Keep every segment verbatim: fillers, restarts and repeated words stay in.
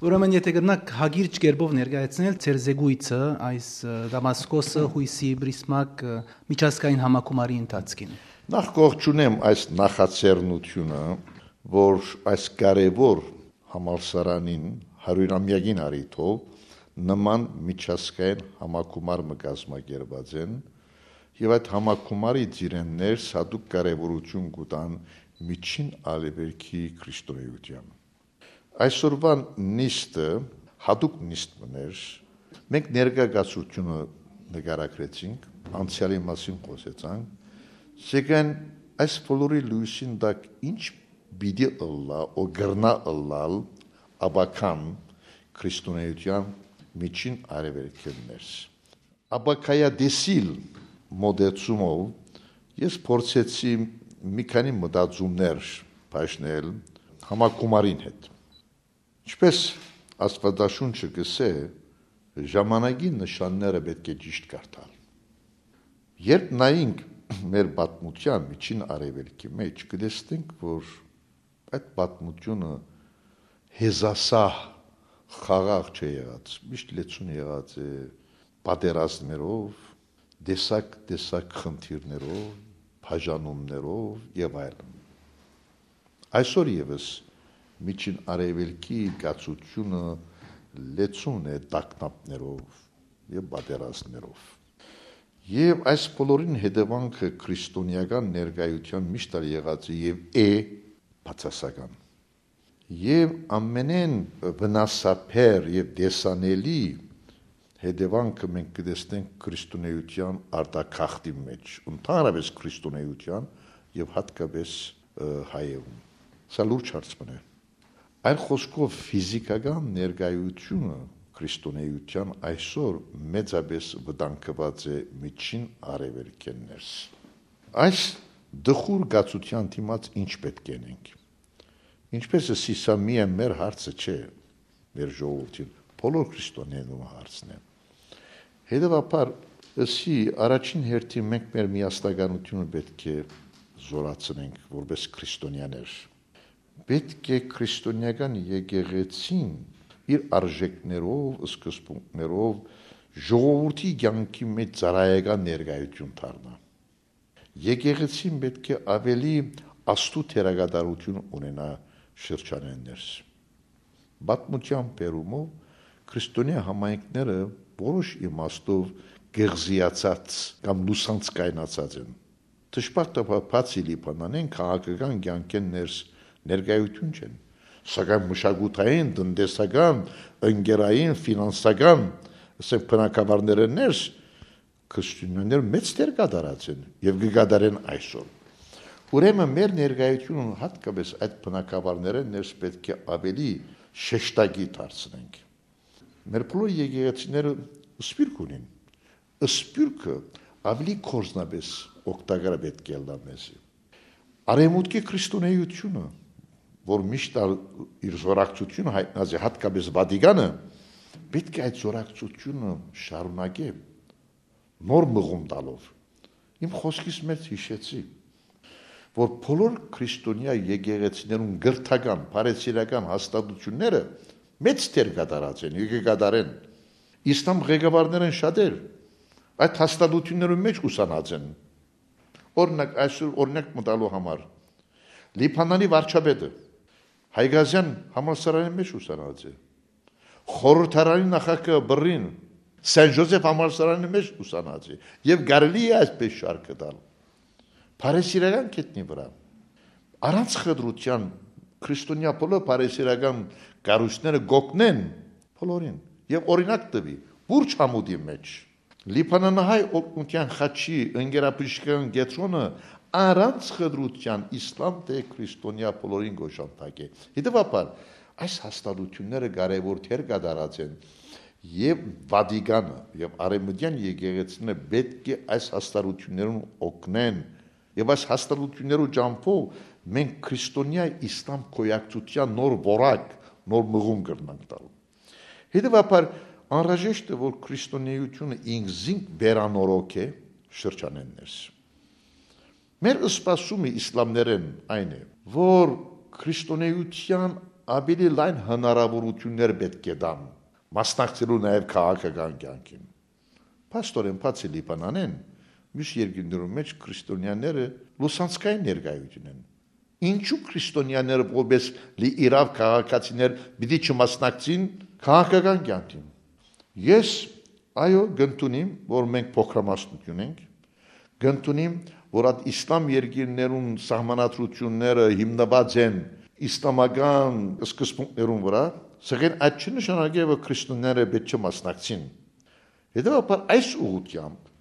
Ուրեմն, եթէ կրնաք հակիրճ կերպով ներկայացնել ձեր զեկոյցը այս, ը, Դամասկոսը, յոյսի, Պրիսմակ, ը, միջազգային համագումարի ընթացքին։ Նախ կողջունեմ այս նախաձեռնությունը, որ այս կարևոր համալսարանին հարիւրամեակին առիթով նման միջազգային համագումար մը կազմակերպած են, եւ այդ համագումարի ծիրէն ներս յատուկ կարեւորութիւն կու տան միջին արեւելքի քրիստոնէութեան։ Այսօրուան նիստը յատուկ նիստ մըն էր։ Մենք ներկայացուցչութիւնը նկարագրեցինք, անցեալի մասին խօսեցանք, սակայն այս բոլորի լոյսին տակ ինչ պիտի ըլլայ, ո կրնայ ըլլալ ապագան քրիստոնէութեան միջին արեւելքէն ներս։ Ապագայատեսիլ մոտեցումով ես փորձեցի մի քանի մտածումներ բաժնել համագումարին հետ։ Ինչպես Աստուածաշունչը կ'ըսէ, ժամանակի նշանները պէտք է ճիշդ կարդալ։ Երբ նայենք մեր պատմութեան, միջին արեւելքի մէջ, կը տեսնենք, որ այդ պատմութիւնը հեզասահ, խաղաղ չէ եղած, միշտ լեցուն եղած է պատերազմներով, տեսակ-տեսակ խնդիրներով, բաժանումներով եւ այլն։ Այսօր եւս Միջին Արեւելքի կացութիւնը լեցուն է տագնապներով եւ պատերազմներով։ Եւ այս բոլորին հետեւանքը քրիստոնեական ներկայութեան միշտ ալ եղած է եւ է բացասական։ Եւ ամենէն վնասաբեր եւ տեսանելի հետեւանքը մենք կը տեսնենք քրիստոնէութեան արտագաղթի մէջ, ընդհանրապէս քրիստոնէութեան եւ յատկապէս, ը, հայերուն։ Սա լուրջ հարց մըն է։ Այլ խօսքով, ֆիզիքական ներկայութիւնը քրիստոնէութեան այսօր մեծապէս վտանգուած է Միջին Արեւելքէն ներս։ Այս տխուր կացութեան դիմաց ինչ պէտք է ընենք։ Ինչպես ըսի, սա միայն մեր հարցը չէ, մեր ժողովուրդին, բոլոր քրիստոնեներուն հարցն է։ Հետեւաբար, ըսի, առաջին հերթին մենք մեր միասնականութիւնը պէտք է զօրացնենք որպէս քրիստոնեաներ։ Պէտք է քրիստոնեական եկեղեցին իր արժեքներով, սկզբունքներով ժողովրդի կեանքի մէջ ծառայական ներկայութիւն դառնայ։ Եկեղեցին պէտք է աւելի աստու դերակատարութիւն ունենայ շրջանէն ներս։ Պատմութեան բերումով քրիստոնեայ համայնքները որոշ իմաստով կղզիացած կամ լուսանցքայնացած են։ Դժբախտաբար, բացի Լիբանանէն, քաղաքական կեանքէն ներս ներկայութիւն չեն, սակայն մշակութային, տնտեսական, ընկերային, ֆինանսական, ասենք, բնակավարներէն ներս քրիստոնեաներ մեծ դեր կատարած են եւ կը կատարեն այսօր։ Ուրեմն մեր ներկայութիւնը յատկապէս այդ բնակավարներէն ներս պէտք է աւելի շեշտակի դարձնենք։ Մեր բոլոր եկեղեցիները սփիւռք ունին։ Սփիւռքը աւելի գործնապէս օգտակար պէտք է ըլլայ մեզի։ Արեւմուտքի քրիստոնէութիւնը, որ միշտ ալ իր զօրակցութիւնը յայտնած է յատկապէս Վատիկանը, պէտք է այդ զօրակցութիւնը շարունակէ, նոր մղում տալով։ Իմ խօսքիս մէջ յիշեցի, որ բոլոր քրիստոնեայ եկեղեցիներուն կրթական, բարեսիրական հաստատութիւնները մեծ դեր կատարած են, եկե կատարեն։ Իսլամ ղեկավարներէն շատեր այդ հաստատութիւններուն մէջ ուսանած են։ Օրինակ, այսօր օրինակ մտալու համար, Լիբանանի վարչապետը Հայկազեան համալսարանի մէջ ուսանած է։ Խորհրդարանի նախագահը Բըրրին Սեն Ժոզեֆ համալսարանի մէջ ուսանած է։ Եւ կարելի է այսպես շարքը տալ։ Բարեսիրական գետնի վրայ։ Առանց խտրութեան քրիստոնեայ բոլոր բարեսիրական կառույցները կօգնեն բոլորին։ Եւ օրինակ տուի, Պուրճ Համուդի մէջ Լիբանանահայ օգնութեան խաչի ընկերաբժշկական կեդրոնը առանց խտրութեան իսլամ թէ քրիստոնեայ բոլորին կ'օժանդակէ։ Հետեւաբար, այս հաստատութիւնները կարեւոր դեր կատարած են, եւ Վատիկանը, եւ արեւմտեան եկեղեցիները պէտք է այս հաստատութիւններուն օգնեն, եւ այս հաստատութիւններու ճամբով մենք քրիստոնեայ իսլամ գոյակցութեան նոր որակ, նոր մղում կրնանք տալ։ Հետեւաբար, անհրաժեշտ է, որ քրիստոնէութիւնը ինքզինք վերանորոգէ շրջանէն ներս։ Մեր սպասումը իսլամներէն այն է, որ քրիստոնէութեան աւելի լայն հնարաւորութիւններ պէտք է տան, մասնակցելու նաեւ քաղաքական կեանքին։ Փաստօրէն, բացի Լիբանանէն, միւս երկիրներուն մէջ քրիստոնեաները լուսանցքային ներկայութիւն են։ Ինչու քրիստոնեաները որպէս լի իրաւ քաղաքացիներ պիտի չմասնակցին քաղաքական կեանքին։ Ես, այո, կ'ընդունիմ, որ մենք փոքրամասնություն ենք, կ'ընդունիմ, որ այդ իսլամ երկիրներուն սահմանադրութիւնները հիմնուած են իսլամական սկզբունքներուն վրայ, սակայն այդ չի նշանակեր, որ քրիստոնեաները պէտք չէ մասնակցին։ Հետեւաբար, այս ուղղութեամբ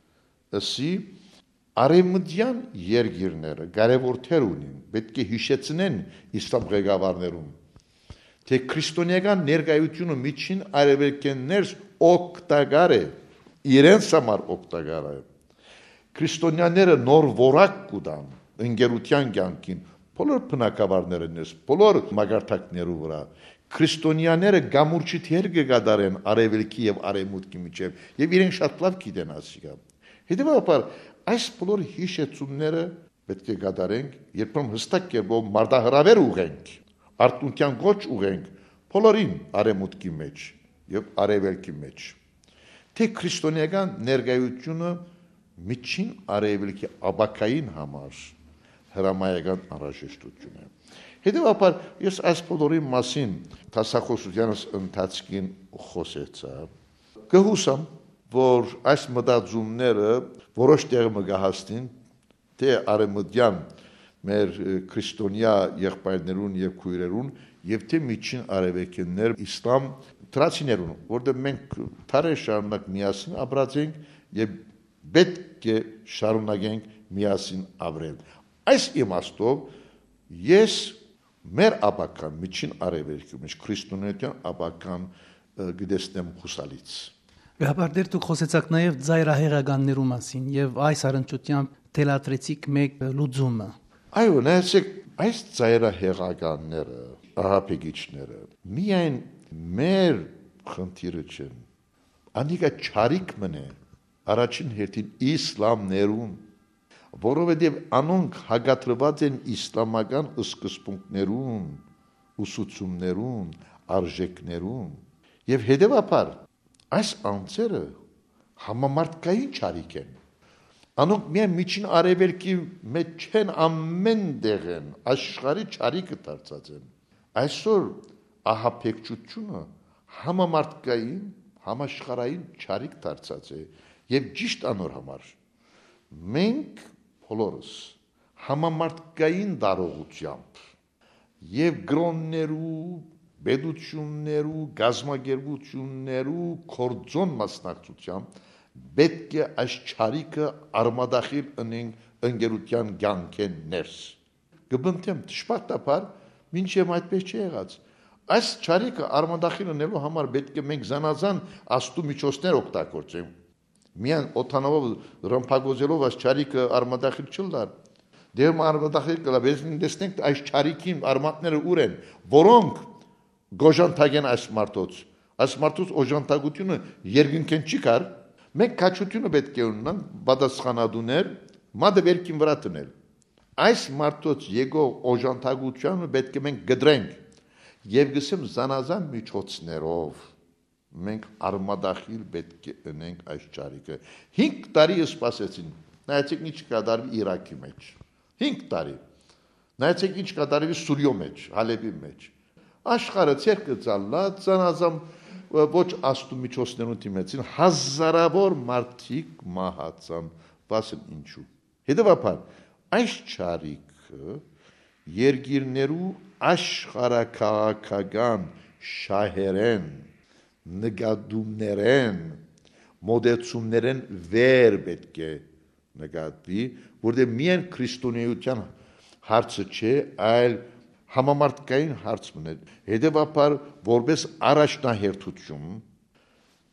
ըսի, արեւմտեան երկիրները կարեւոր դեր ունին, պէտք է յիշեցնեն իսլամ ղեկավարներուն, թէ քրիստոնեական ներկայութիւնը Միջին Արեւելքէն ներս օգտակար է, իրենց համար օգտակար է։ Քրիստոնեաները նոր որակ կու տան ընկերութեան կեանքին, բոլոր բնակավարներէն ներս, բոլոր մակարդակներու վրայ։ Քրիստոնեաները կամուրջի դեր կը կատարեն արեւելքի եւ արեւմուտքի միջեւ, եւ իրենք շատ լաւ գիտեն ասիկա։ Հետեւաբար, այս բոլոր յիշեցումները պէտք է կատարենք, երբեմն յստակ կերպով մարտահրաւէր ուղղենք, արթնութեան կոչ ուղղենք բոլորին արեւմուտքի մէջ եւ արեւելքի մէջ, թէ քրիստոնեական ներկայութիւնը Միջին Արեւելքի ապագային համար հրամայական անհրաժեշտութիւն է։ Հետեւաբար, ես այս բոլորին մասին դասախօսութեանս ընթացքին խօսեցայ։ Կը յուսամ, որ այս մտածումները որոշ տեղ մը կը հասնին, թէ արեւմտեան մեր, ը, քրիստոնեայ եղբայրներուն եւ քոյրերուն, եւ թէ Միջին Արեւելքէն ներս իսլամ թրացիներուն, որտեղ մենք դարեր շարունակ միասին ապրած ենք եւ պէտք է շարունակենք միասին ապրել։ Այս իմաստով ես մեր ապագան, Միջին Արեւելքի մէջ քրիստոնէության ապագան, ը, կը տեսնեմ յուսալից։ Գահապար Տեր, դուք խօսեցաք նաեւ ծայրահեղականներու մասին եւ այս առնչությամբ թելադրեցիք մէկ լուծումը։ Այո, նայեցեք, այս ծայրահեղականները, ահաբեկիչները, միայն մեր խնդիրը չեն։ Անիկա չարիք մըն է, առաջին հերթին իսլամներուն, որովհետեւ անոնք հակադրուած են իսլամական սկզբունքներուն, ուսուցումներուն, արժեքներուն, եւ հետեւաբար այս անձերը համամարտկային չարիք են։ Անոնք միայն Միջին Արեւելքի մէջ չեն, ամէն տեղ են, աշխարհի չարիքը դարձած են։ Այսօր ահաբեկչութիւնը համամարտկային, համաշխարհային չարիք դարձած է, եւ ճիշդ անոր համար մենք բոլորս համամարտկային տարողութեամբ եւ կրօններու, պետութիւններու, կազմակերպութիւններու կորձուն մասնակցութեամբ պէտք է այս չարիքը արմատախիլ ընենք ընկերութեան կեանքէն ներս։ Կը պնդեմ, դժբախտաբար, մինչեւ այդպես չի եղած։ Այս չարիքը արմատախիլ ընելու համար պէտք է մենք զանազան աստու միջոցներ օգտագործենք։ Միայն օդանաւով, ռմբակոծելով այս չարիքը արմատախիլ չըլլար։ Դեռ մը արմատախիլ կլա, բերեցին տեսնենք, այս չարիքին արմատները ուր են, որոնք կօժանդակեն այս մարդոց։ Այս մարդոց օժանդակությունը երկնքէն չի գար։ Մենք քաջությունը պէտք է ունենանք պատասխանատուներ մատը վերքին վրայ դնել։ Այս մարդոց եկող օժանդակությանը պէտք է մենք կտրենք եւ գսեմ զանազան միջոցներով մենք արմատախիլ պէտք է ընենք այս չարիքը։ Հինգ տարի սպասեցին, նայեցեք ինչ կատարվի Իրաքի մեջ։ Հինգ տարի։ Նայեցեք ինչ կատարվի Սուրիոյ մեջ, Հալեբի մեջ։ Աշխարհը ձեռքը ծալլած, զանազան, ը, ոչ աստու միջոցներուն դիմեցին, հազարավոր մարդիկ մահացան, վասն ինչու։ Հետեւաբար, այս չարիքը երկիրներու աշխարհաքաղաքական շահերեն, նկատումներեն, մոտեցումներեն վեր պէտք է նկատուի, որտեղ միայն քրիստոնեության հարցը չէ, այլ համամարտկային հարց մըն է։ Հետեւաբար, որպես առաջնահերթություն,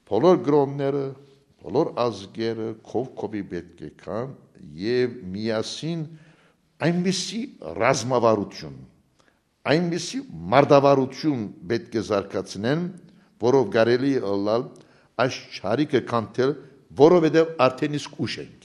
բոլոր կրոնները, բոլոր ազգերը քով քովի պէտք է գան եւ միասին այնպիսի ռազմավարություն, այնպիսի մարտավարություն պէտք է զարգացնեն, որով կարելի է ըլլալ այս չարիքը քանդել, որովհետեւ արդեն իսկ ուշ ենք։